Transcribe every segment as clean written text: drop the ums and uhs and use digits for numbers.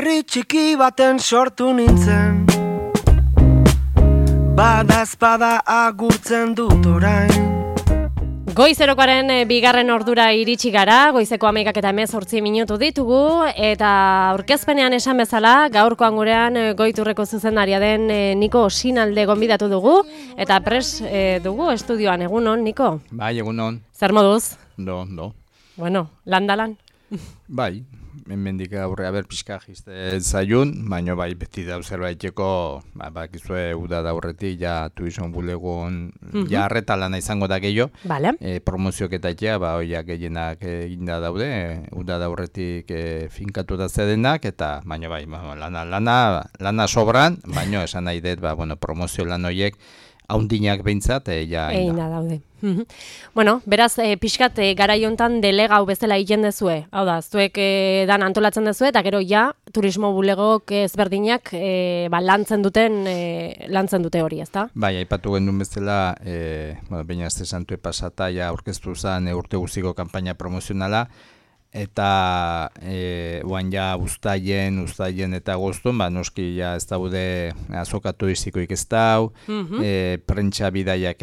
herri txiki baten sortu nintzen, badazpada agurtzen dut orain. Goizerokoaren bigarren ordura iritsi gara, goizeko 11:18 ditugu, eta aurkezpenean esan bezala, gaurkoan gurean Goiturreko zuzendaria den Niko Osinalde gonbidatu dugu, eta pres dugu estudioan. Egunon, Niko? Bai, egunon. Zer moduz? Do. Bueno, landalan? Bai, hemendik aurrea pixka jiste zaiun, baina bai beti da zerbaiteko, bakizue uda da aurretik ja tuizon bulegon ja arretalana izango da gehiago. Vale. Promozioak eta etxea, hoiak gehienak eginda daude, uda da aurretik finkatu da zedenak, eta baina bai, lana sobran, baina esan nahi dut, promozio lan horiek haundinak behintzat, Eina daude. Bueno, beraz, pixkat garai hontan delegau bezala egiten dezue. Hau da, zuek dan antolatzen dezue, eta gero ja, turismo bulegok ezberdinak lantzen dute hori, ezta? Bai, aipatu gendun bezala, baina azte santue pasata, ja aurkeztu zen urte guztiko kanpaina promozionala, eta oan ja uztaien eta agostun, noski ja ez daude azoka turistikoik ez dau, prentsa bidaiak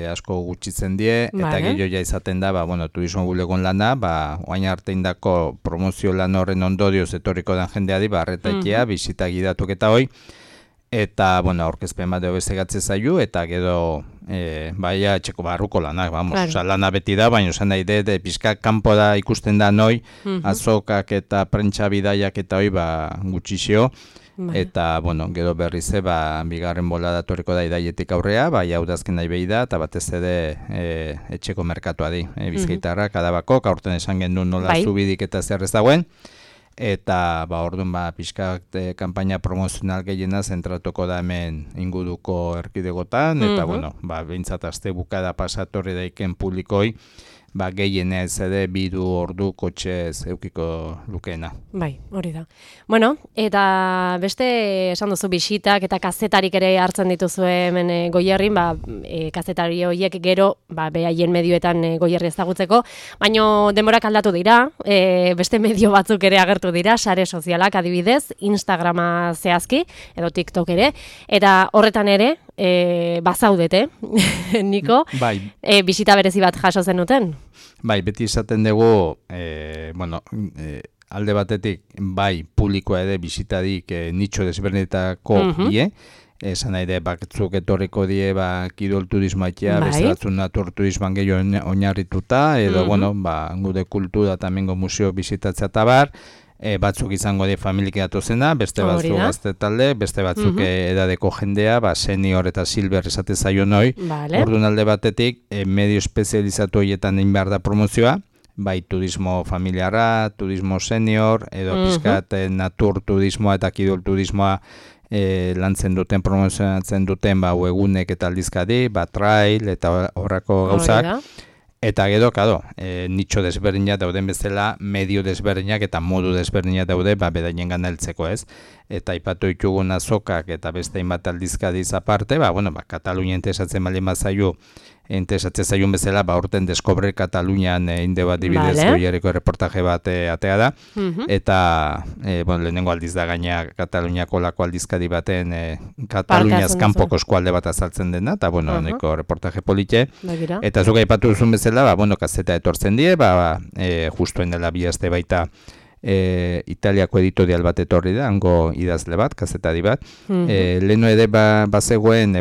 asko gutxitzen die, eta gehiago ja izaten da, turismo bulegon lana, oain arte indako promozio lan horren ondorioz etorriko den jendeari, arretaitea, bisita gidatuk eta hoi, eta, aurkezpen bat bezegatze zaiu, eta gero, txeko barruko lanak, lana beti da, baina esan nahi dut, pixka kanpo da ikusten da noi, azokak eta prentsa bidaiak eta hoi, gutxixio, eta, gero berrize, bigarren bola datoriko da idaietik aurrea, hau dazken nahi behi da, eta batez ere etxeko merkatua di, Bizkaitarra, kadabako, aurten esan gendun nola zubidik eta zer ez dagoen, eta orduan pixkat kanpaina promozional gehiena zentratuko da hemen inguruko erkidegotan, eta behintzat aste bukada pasatorri daiken publikoi, gehiena ez ere bidu ordu kotxez eukiko lukeena. Bai, hori da. Bueno, eta beste esan duzu bisitak eta kazetarik ere hartzen dituzu hemen Goierrin, kazetari horiek gero behaien medioetan Goierri ezagutzeko, baino denborak aldatu dira, beste medio batzuk ere agertu dira, sare sozialak adibidez, Instagrama zehazki, edo TikTok ere, eta horretan ere, bazaudete, Niko, bisita berezi bat jaso zenuten? Bai, beti izaten dugu, alde batetik, publikoa ere bisitadik nitxo desberdinetako die, esan nahi de, batzuk etorriko die, kidol turismoatea, beste batzun natur turismoan gehiago oinarrituta, edo, gude kultura eta mengo museo bisitatzea eta bar, batzuk izango die familik edatu-zena, beste batzuk gazte talde, beste batzuk edadeko jendea, senior eta silver esate zaio noi, orduan alde batetik, medio espezializatu horietan egin behar da promozioa, turismo familiarra, turismo senior, edo pizkat natur turismoa eta kidol turismoa lantzen duten, promozionatzen duten, egunek eta aldizkadi, trail eta horrako gauzak, eta gero, nitxo desberdinak dauden bezala, medio desberdinak eta modu desberdinak daude, bedainen gana heltzeko ez. Eta aipatu ditugun azokak eta beste hainbat aldizkadiz aparte, Katalunia entesatzen baldin bazaiu, entesatzen zaiun bezala, urten Descobre Katalunian inde bat dibidez Goierriko reportaje bat atea da, eta lehenengo aldiz da gaina Kataluniako lako aldizkadi baten Kataluniaz kanpoko eskualde bat azaltzen dena, eta neko reportaje polite, eta zuk aipatu duzun bezala, kazeta etortzen die, justuen dela bi aste baita Italiako editorial bat etorri da, hango idazle bat, kazetari bat. Leheno ere bazegoen,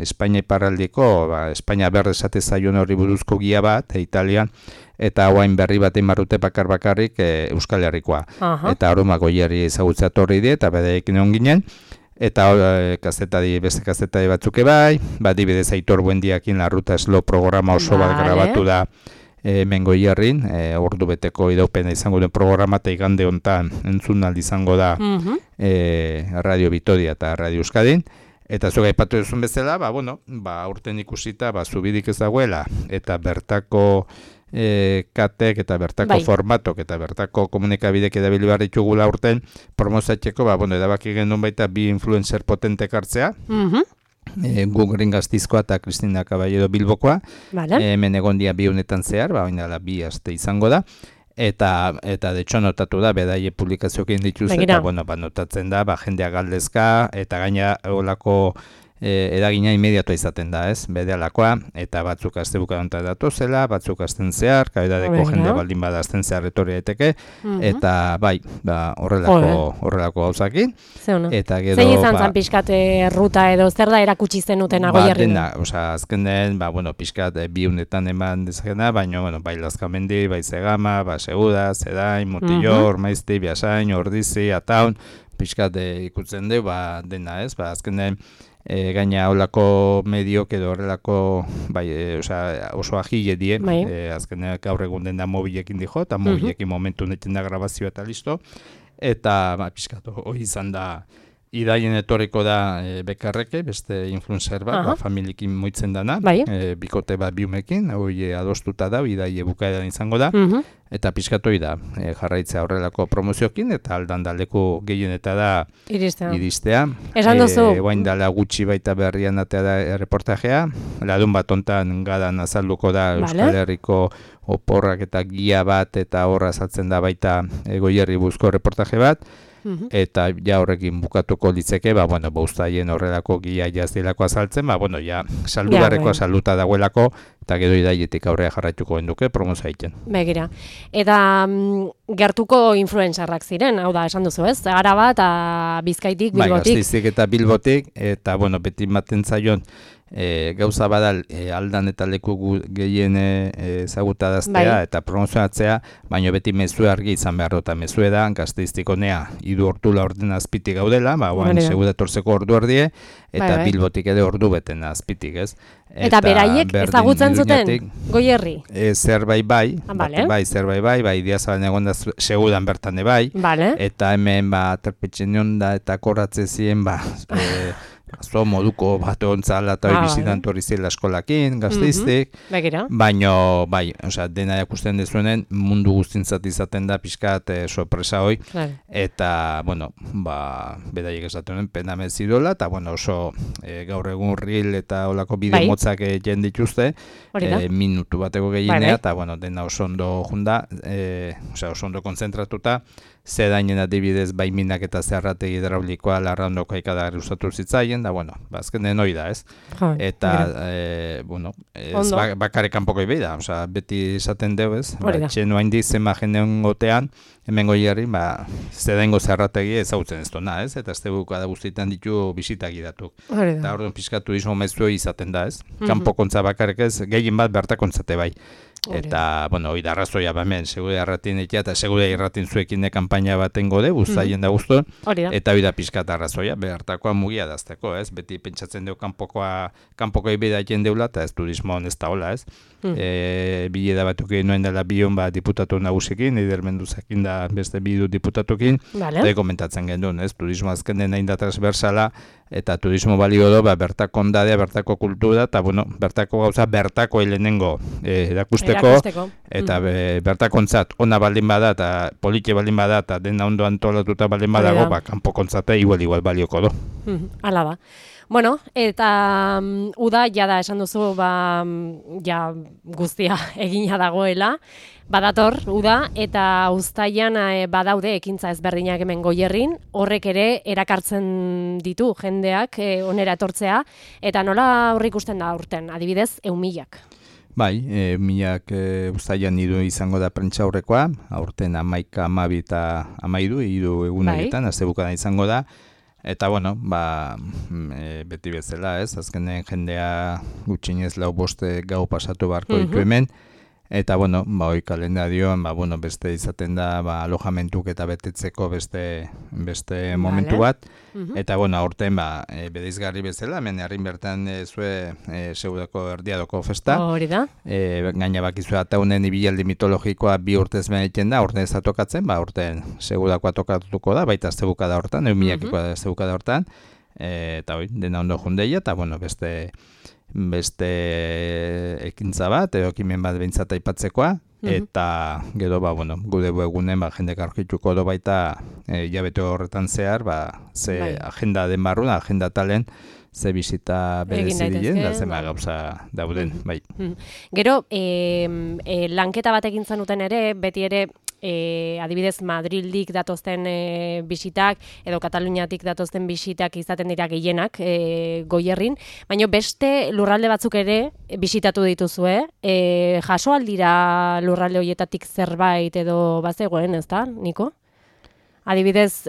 Espainia iparraldiko, Espainia berre esate zaion horri buruzko gia bat, Italian, eta hauain berri bat marrute bakarrik Euskal Herrikoa. Eta aroma Goierri ezagutzea torri die, eta bedeekin egon ginen, eta beste kazetari batzuk dibidez Aitor Buendiakin la Ruta Slow programa oso bat grabatu da hemen Goierrin, ordu beteko idaupena izango den programa, eta igande hontan entzun aldi izango da Radio Vitoria eta Radio Euskadin, eta zuga aipatu duzun bezala, urten ikusita, zubidik ez dagoela, eta bertako katek eta bertako formatok eta bertako komunikabidek edabili behar ditugula urten, promozatzeko, edabaki genuen baita bi influencer potentek hartzea, Gugrin Gaztizkoa eta Kristina Caballero Bilbokoa, hemen egon dia bi honetan zehar, oinala bi aste izango da, eta de hecho notatu da bedaie publikazioekin dituz eta bueno, notatzen da jendea galdezka eta gaina olako edagina inmediatua izaten da, ez? Berealakoa eta batzuk astebuka hontan datozela, batzuk asten zehar, kaidadeko jende baldin bada asten zehar etorri daiteke eta bai, horrelako gauzakin. Eta gero zein izan zan pixkat ruta edo zer da erakutsi zenuten Goierrin? Azkenen, pixkat bi unetan eman dezakena, baina bai Lazkamendi, bai Zegama, Seguda, Zedain, Mutillo, Ormaizti, Biasain, Ordizi, Ataun, pixkat ikutzen du, dena, ez? Azkenen gaina holako mediok edo horrelako oso agile die, azkenean gaur egun den da mobilekin dijo, eta mobilekin momentu neten da grabazioa eta listo, eta pixkatu hori izan da, idaien etorriko da Bekarreke, beste influencer bat, familiekin moitzen dana, bikote bat biumekin, hori adostuta da, idaie bukaeran izango da, eta pixkatu da, jarraitzea horrelako promoziokin, eta aldan daleku gehieneta da iristea. Esan duzu? Guain dala gutxi baita berrian atea da reportajea, ladun bat ontan gadan azalduko da Euskal Herriko oporrak eta gia bat, eta horra azaltzen da baita Goierri buzko reportaje bat, eta ja horrekin bukatuko litzeke, uztaien horrelako gia jazdilako azaltzen, saldugarreko salduta dagoelako, eta gero idaietik aurrea jarraituko genduke, promozioa egiten. Begira. Eta gertuko influencerrak ziren, hau da, esan duzu ez? Araba eta Bizkaitik, Bilbotik. Gasteizik eta Bilbotik, eta beti maten zaion, gauza badal aldan eta leku gehien ezagutadaztea eta promozionatzea, baina beti mezu argi izan behar dut, mezu edan, Gasteiztik honea, idu ortula orden azpitik gaudela, Seguda torzeko ordu erdie, eta Bilbotik ere ordu beten azpitik, ez? Eta beraiek ezagutzen zuten Goierri? Zerbait bai, Idiazabalen egon da Segudan bertan bai, eta hemen aterpetxen onda eta korratze ziren, moduko bat ontzala eta bizitan torri zela eskolakin, Gasteiztik, baina, dena jakusten dezuenen mundu guztintzat izaten da pixkat sorpresa hoi, eta, bedaiek esaten pena mezidola, eta, oso gaur egun reel eta olako bideo motzak jen dituzte, minutu bateko gehienea, eta, dena oso ondo junda, oso ondo konzentratuta, Zedainen adibidez baiminak eta zeharrategi hidraulikoa larraondoko ikadagarri usatu zitzaien, da, azkenen hori da, ez? Eta, bakare kanpoko ibei da, beti esaten deu, ez? Txenu haindi zenba jendeon gotean, hemen Goierri, zedaingo zeharrategi ezagutzen ez duna, ez? Eta ez teguko da guztietan ditu bisitak idatuk. Eta orduan pixka turismo mezu izaten da, ez? Kanpokontza bakarrik ez, gehien bat bertakontzate bai. Eta, hori da arrazoia hemen, Segude Arratin eta Segude Irratin zuekin kanpaina baten gode, guztaien da guztu, eta hori da pixkat arrazoia, behartakoa mugia dazteko, ez? Beti pentsatzen deu kanpoko ibeda jen deula, eta ez turismoan ez da hola, ez? Bileda batuk egin noen dela bion diputatu nagusikin, Eider Menduzakin da beste bidu diputatukin, eta komentatzen genuen, ez? Turismo azken den hain da transversala, eta turismo balio do, bertako ondadea, bertako kultura, eta, bertako gauza, bertako helenengo erakusteko, eta bertakontzat ona baldin bada, eta politxe baldin bada, eta dena ondo antolatuta baldin badago, kanpokontzate igual balioko do. Hala da. Bueno, eta uda, jada esan duzu, guztia egina dagoela, badator, uda, eta uztailan badaude ekintza ezberdinak hemen Goierrin, horrek ere erakartzen ditu jendeak onera etortzea, eta nola horrik ikusten da aurten, adibidez, 1.000. Bai, 1.000 uztailan idu izango da prentsa aurrekoa, aurten 11, 12 eta 13 idu egunetan, astebukada izango da. Eta, beti bezala, ez? Azkenen jendea gutxinez 4-5 gau pasatu beharko ditu hemen. Eta, hoi kalendarioan, beste izaten da alojamentuk eta betetzeko beste momentu bat. Eta, aurten, bedeizgarri bezala, hemen herrin bertan zue Segudako erdiadoko festa. Hori da. Gaina bakizue ataunen ibilaldi mitologikoa 2 urtez egiten da, urten ez da tokatzen, urten Segudakoa tokatuko da, baita aztebukada hortan, 1.000koa aztebukada hortan. Eta, dena ondo jundeia, eta, beste ekintza bat, ekimen bat behintzat aipatzekoa, eta gero, gude egunen jendek argituko do baita jabete horretan zehar, ze agenda den barruna, agenda talen, ze bizita berezidien, da zema gauza dauden, bai. Gero, lanketa bat egin zenuten ere, beti ere, adibidez Madrildik datozten bisitak edo Kataluniatik datozten bisitak izaten dira gehienak Goierrin, baina beste lurralde batzuk ere bisitatu dituzue, jaso aldira lurralde horietatik zerbait edo bazegoen, ezta, Niko? Adibidez,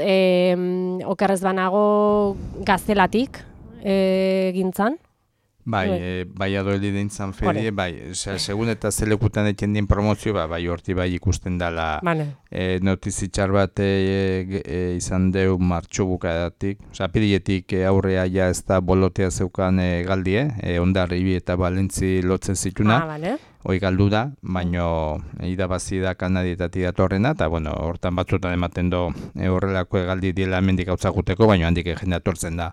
okerrez banago Gaztelatik gintzan? Bai, Valladolid dintzan ferie, bai, segun eta zelekutan eten dien promozio, bai, horti bai ikusten dela notizitxar bat izan deu martxo bukadatik, apirietik aurrea ja ez da bolotea zeukan galdie, Hondarribi eta Balentzi lotzen zituna, hoi galdu da, baino irabazi da Kanadietatik datorrena, eta bueno, hortan batzutan ematen do horrelako egaldi diela hemendik gautzakuteko, baino handik jende atortzen da.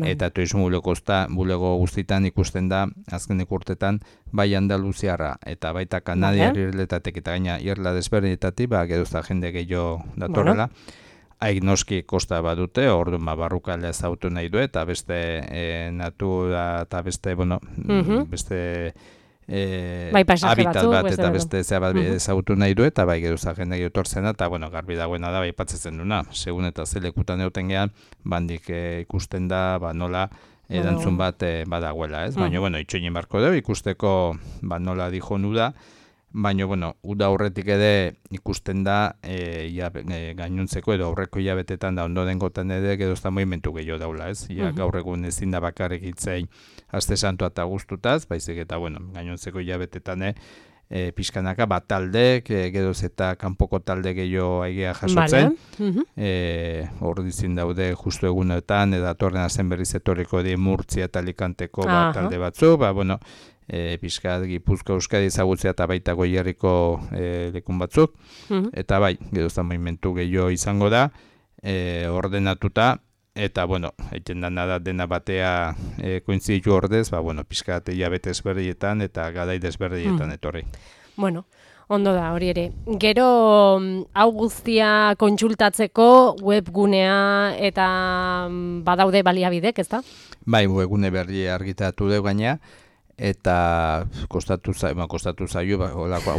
Eta turismo bulego guztitan ikusten da, azkenik urtetan, bai Andaluziarra eta baita Kanadiar irletatek eta gaina irla desberdinetatik, geduzta jende gehiago datorrela. Haik noski kosta badute, orduan barrukalea ezautu nahi du, eta beste natura eta beste, beste habitat bat eta beste zea bat ezagutu nahi du, eta bai geruza jende etortzen da, eta garbi dagoena da, bai patzetzen duna, segun eta zelekutan egoten gehan, bandik ikusten da, nola erantzun bat badagoela, ez? Baina, itxoinin barko dugu, ikusteko nola dijonu da, baina, uda aurretik ere ikusten da gainuntzeko edo aurreko hilabetetan da ondo dengotan ere gedozta movimentu gehiago daula, ez? Gaur egun ezin da bakarrik hitzein aste santua eta guztutaz, baizik eta, gainuntzeko hilabetetan pixkanaka bat taldek, gedoz eta kanpoko talde gehiago aigea jasotzen. Hor dizin daude justu egunetan, edatorren azen berriz etorriko di Murtzia eta Alicanteko talde batzu, pixkat Gipuzkoa Euskadi ezagutzea eta baita Goierriko lekun batzuk, eta bai, gedoztan movimentu gehiago izango da, ordenatuta, eta, egiten da dena batea kointziditu ordez, pixkat hilabete ezberdietan eta gadai desberdietan etorri. Ondo da, hori ere. Gero, hau guztia kontsultatzeko webgunea eta badaude baliabidek, ezta? Bai, webgune berri argitatu dugu gaina, eta kostatu zaio,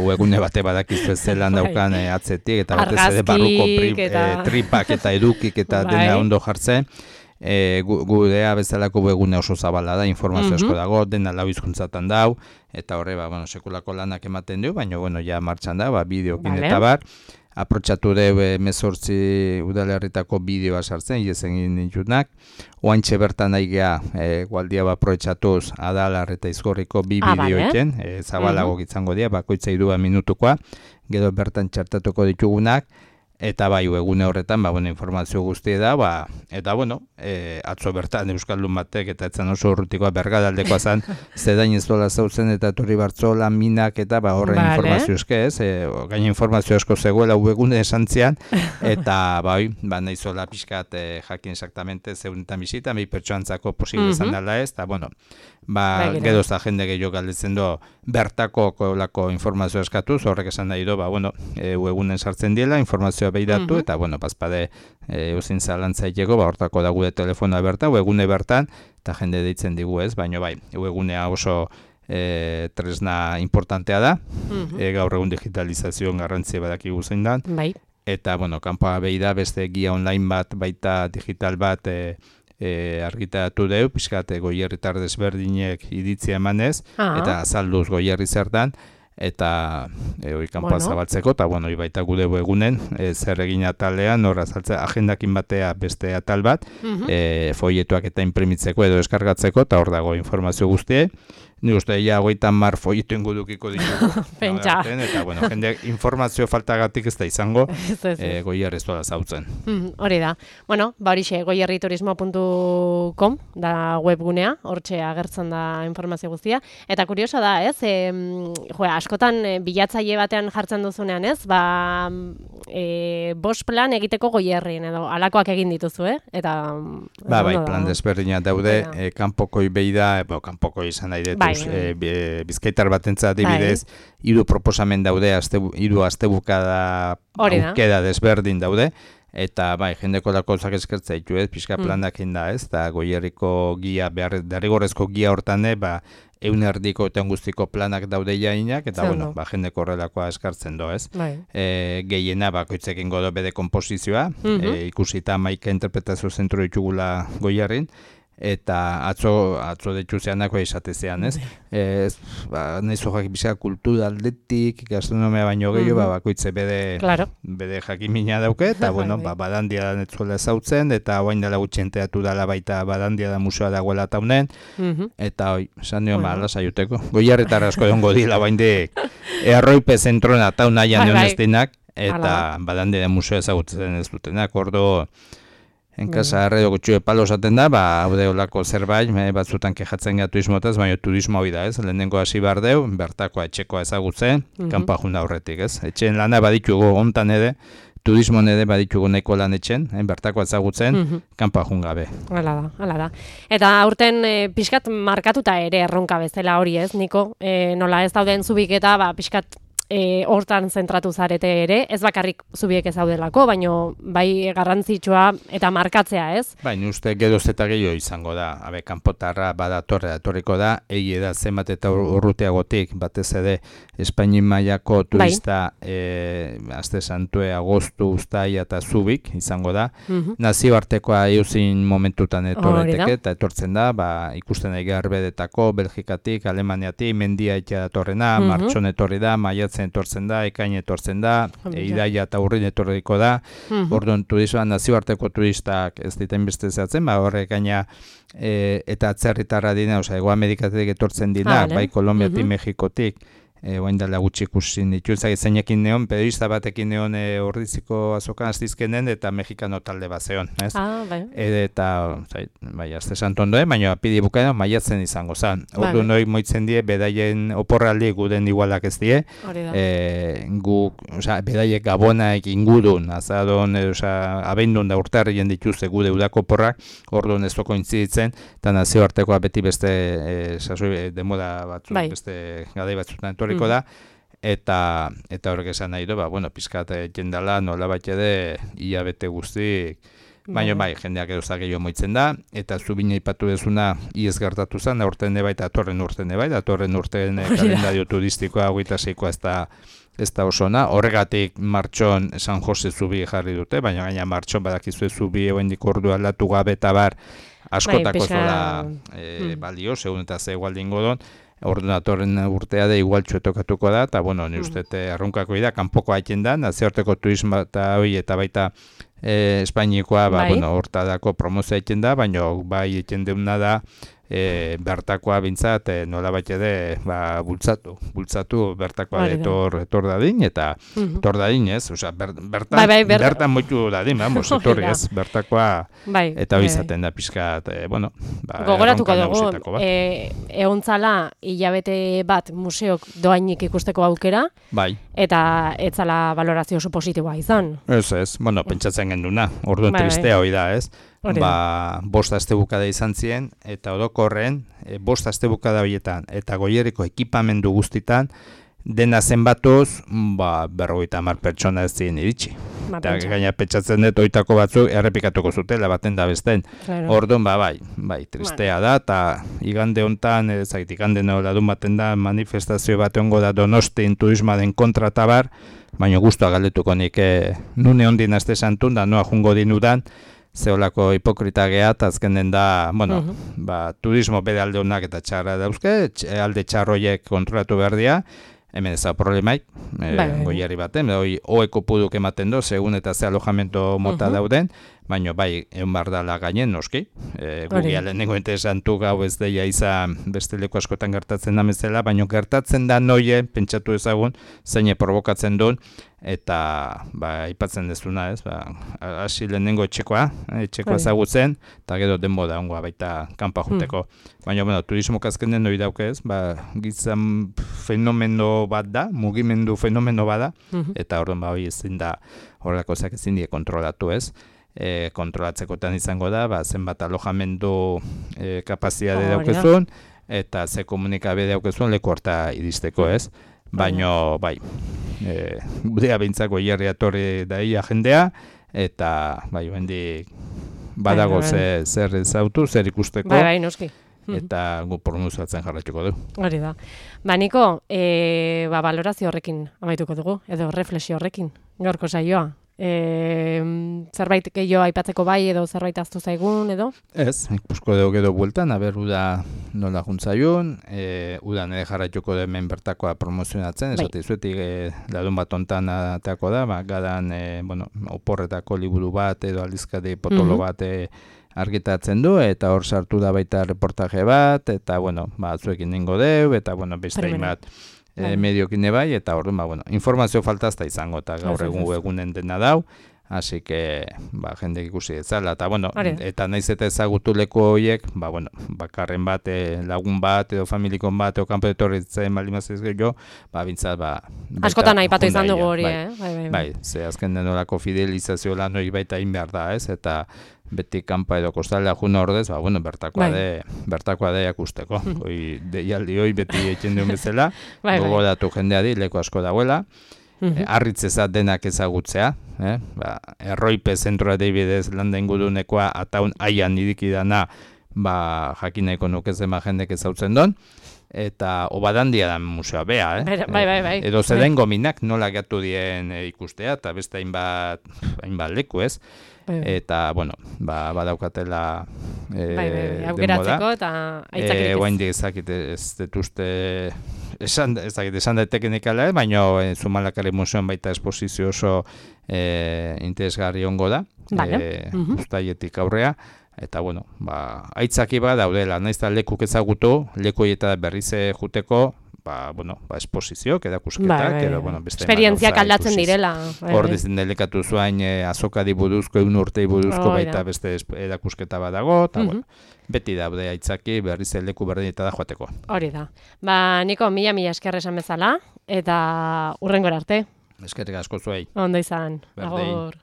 webgune bate badakizu zelan daukan atzetik, eta batez ere barruko tripak eta edukik eta dena ondo jartzen. Gudea bezalako webgune oso zabala da, informazio asko dago, dena lau hizkuntzatan dau, eta horre, sekulako lanak ematen du, baina, ja martxan da, bideokin eta bar. Aprotxatu dugu 18 udalerritako bideoa sartzen, izen egin ditunak. Oantxe bertan aigea, gualdia aprotxatuz Adalar eta Izgorriko bi bideoekin, zabalago gitzango dira, bakoitza 2 minutukoa, gero bertan txartatuko ditugunak, eta bai, egune horretan, informazio guztia da, eta atzo bertan Euskaldun batek, eta etzan oso urrutikoa bergadaldekoa zen, zedain ez dola zautzen eta Torri Bartzola, minak, eta horren informazio eske ez, gaina informazio asko zegoela egune esantzian, eta nahizola pixkat jakin exactamente zeunetan bisita, behi pertsoantzako posible izan dela ez, eta gero za jende gehiago galdetzen do bertako kolako informazio eskatuz, horrek esan nahi do, egunen sartzen diela, informazioa behiratu, eta bazpade euzin zalantzaiteko, hortako da gure telefonoa bertan, egune bertan, eta jende deitzen digu ez, baina egunea oso tresna importantea da, gaur egun digitalizazioan garrantzia badakigu zein da, eta kanpoa behira beste guia online bat, baita digital bat, argitaratu dugu, pixkat Goierritar desberdinek iditzia emanez, eta azalduz Goierri zertan, eta kanpoa zabaltzeko, eta baita gude egunen, zer egin atalean, hor azaltzea agendakin batea beste atal bat, folietuak eta imprimitzeko edo eskargatzeko, eta hor dago informazio guztie. Ni uste, ja, 30 folietu ingudukiko ditugu. Pentsa. Eta, jende informazio faltagatik ez da izango, Goierri ez dola zautzen. Hori da. Horixe, goierriturismo.com da webgunea, hortxe agertzen da informazio guztia. Eta kuriosa da, ez? Askotan bilatzaile batean jartzen duzunean, ez? Bost plan egiteko Goierrin, edo alakoak egin dituzu, Eta... plan desberdina daude, kanpokoi behi da, kanpokoi izan nahi dut, bizkaitar batentzat adibidez, 3 proposamen daude, 3 astebukada aukera desberdin daude, eta jendeko lakozak eskertza ditu, pixka planak inda, eta Goierriko gia, derrigorrezko gia hortan, eunerdiko eta guztiko planak daude jainak, eta bueno, jende korrelakoa eskartzen do, ez? Gehiena bakoitzekin godo bede komposizioa, ikusita 11 interpretazio zentro ditugula Goierrin, eta atzo detxuzeanako esatezean, ez? Nahi zojak bizka kultura aldetik, gastronomia baino gehiago, bakoitze bede jakimina dauke, eta bueno, badandia da netzuela ezautzen, eta oain dela gutxenteatu dela baita badandia da museoa dagoela taunen, eta esan nion, alasa juteko. Goierretara asko dongo dila bain de erroipe zentrona taun nahian honestinak, eta badandia da museoa ezagutzen ez dutenak, ordo enkasa arredo gutxue palo esaten da, haude olako zerbait, batzutan kejatzen gara turismotaz, baina turismo hori da, ez? Lehenengo hasi behar deu, bertakoa etxekoa ezagutzen, kanpa junda horretik, ez? Etxeen lana baditugu hontan ere, turismo ere baditugu nahiko lan etxen, bertakoa ezagutzen, kanpa jun gabe. Hala da. Eta aurten pixkat markatuta ere erronka bezala hori, ez, Niko? Nola ez dauden zubiketa, pixkat hortan zentratu zarete ere, ez bakarrik zubiek ez daudelako, baino bai garrantzitsua eta markatzea, ez? Baina uste geroz eta gehiago izango da, kanpotarra badatorriko da, egi da zenbat eta urruteagotik, batez ere Espainin mailako turista aste santue, agostu, uztaia eta zubik izango da, nazioartekoa euzin momentutan etorreteke, eta etortzen da, ikusten egi Arbedetako, Belgikatik, Alemaniatik, mendia etia datorrena, martxon etorri da, maiatzen etortzen da, ekain etortzen da, idaia eta urrin etorriko da, orduan turismoa nazioarteko turistak ez diten beste zehatzen, horrek gaina eta atzerritarra dina, Ego Amerikatik etortzen dina, bai Kolombiatik, Mexikotik, oain dela gutxi ikusin dituzak zeinekin neon, periodista batekin neon Ordiziko azokan aztizkenen eta mexikano talde bat zeon, ez? Eta, azte santondoen, baina apidi bukaena maiatzen izango zen. Ordu noi moitzen die, bedaien oporraldi guden igualak ez die, bedaiek gabonaek ingurun, azadon, abeindun da urtarrien dituzte gude udako porrak, orduan ez doko intziditzen, eta nazioartekoa beti beste demoda batzuk, beste gadei batzutan da, eta horrek esan nahi du, pizkat jendala nola bat ede hilabete guztik, baina jendeak edozak gehiago moitzen da, eta zubina ipatu dezuna iez gertatu zen, aurten eba eta atorren urten kalendario turistikoa 26koa ez da osona, horregatik martxon San Jose zubi jarri dute, baina gaina martxon badakizue zubi egoendik ordu aldatu gabe eta bar askotako zola balio, segun eta ze igualdin godon, ordunatorren urtea da igual txuetokatuko da, eta ni uste arrunkako da, kanpoko haiten da, nazioarteko turismo eta hori eta baita Espainikoa, hortadako promozioa egiten da, baina bai egiten deuna da, bertakoa bintzat nola bat ede bultzatu bertakoa etor dadin, eta etor dadin, ez? Bertan moitu dadin, etorri, ez? Bertakoa, eta hori izaten da pixkat, gogoratuko dugu, egontzala hilabete bat museok doainik ikusteko aukera, eta etzala valorazio oso positiboa izan. Ez, pentsatzen genduna, orduan tristea hori da, ez? 5 astebukada izan ziren, eta orokorren 5 astebukada horietan, eta Goierriko ekipamendu guztitan, dena zenbatuz, 50 pertsona ez ziren iritsi. Eta gaina pentsatzen dut, oitako batzuk errepikatuko zutela, baten da besten. Orduan, bai, tristea da, eta igande hontan, igande noladun baten da, manifestazio bat ongo da Donostin turismoaren kontra tabar, baina guztua galdetuko nik, nune ondin aste santun, da noa jungo dinudan, zeolako hipokrita gea, eta azkenen da, turismo bere alde honak eta txarra dauzke, alde txarroiek kontrolatu behar dira, hemen ez da problemaik, Goierri baten, oeko puduk ematen do, segun eta ze alojamento mota dauden, baina egon behar dala gainen, noski, gugia lehenengo interesantu gau ez deia izan beste leku askotan gertatzen da mezela, baina gertatzen da noie, pentsatu ezagun, zeine provokatzen duen, eta aipatzen dezuna, ez, hasi lehenengo etxekoa ezagutzen, eta gero denboda ongoa baita kanpa juteko. Baina, turismo azkenen hori dauk ez, gizan fenomeno bat da, mugimendu fenomeno bat da, eta horren hori ezin da, horrelako ezin die kontrolatu ez, kontrolatzekotan izango da, zenbat alojamendu kapazitate daukezun, eta ze komunikabe daukezun leku horta iristeko ez, baina, gudea behintzako Goierri atorri daia jendea, eta, hendik badago zer ezautu, zer ikusteko. Noski. eta gu promozioatzen jarraituko du. Hori da. Niko, balorazio horrekin amaituko dugu, edo reflexio horrekin, gaurko saioa. Zerbait gehiago aipatzeko bai edo zerbait aztu zaigun edo? Ez, ikusko dugu edo bueltan, uda nola juntzaiun, udan ere jarraituko da hemen bertakoa promozionatzen, esate izuetik larun bat ontan atako da, gadan oporretako liburu bat edo aldizkari potolo bat argitatzen du, eta hor sartu da baita reportaje bat, eta zuekin ningo deu, eta beste bat mediokin bai, eta orduan, informazio faltazta izango, eta gaur egunen dena dau, hasi que, jendek ikusi etzala, eta naiz eta ezagutu leku horiek, bakarren bat, lagun bat, edo familikon bat, edo kanpo etorritzen balimazez gehiago, bintzat, askotan aipatu izan dugu hori, Bai, ze azken denolako fidelizazio lan hori baita inbehar da, ez, eta beti kanpa edo kostalea jun ordez, bertakoa da jakusteko. Deialdi hoi beti egiten duen bezala, gogoratu jendeari leku asko dagoela, harritzezat denak ezagutzea, erroipe zentroa deibidez landa ingurunekoa ataun aian idikidana, jakin nahiko nukezema jendek ezautzen don, eta obadandia da museoa bea, Bai. Edo zeden gominak nola gatu dien ikustea, eta beste hainbat leku, ez? Eta, badaukatela aukeratzeko eta aitzakirik ez. Oaindik ez dituzte esan daitekenikala, baina Zumalakari museoan baita esposizio oso interesgarri ongo da, uztaietik aurrea, eta, aitzaki bat daudela, naiz da lekuk ezagutu, leku eta berriz juteko, esposizioak, edakusketak, beste esperientziak aldatzen direla. Hor dizen delikatu zuain azokari buruzko, egun urtei buruzko baita beste edakusketa bat dago, eta beti daude aitzaki berriz leku berdineta da joateko. Hori da. Niko, mila esker esan bezala, eta hurrengora arte. Eskerrik asko zuei. Ondo izan. Agur.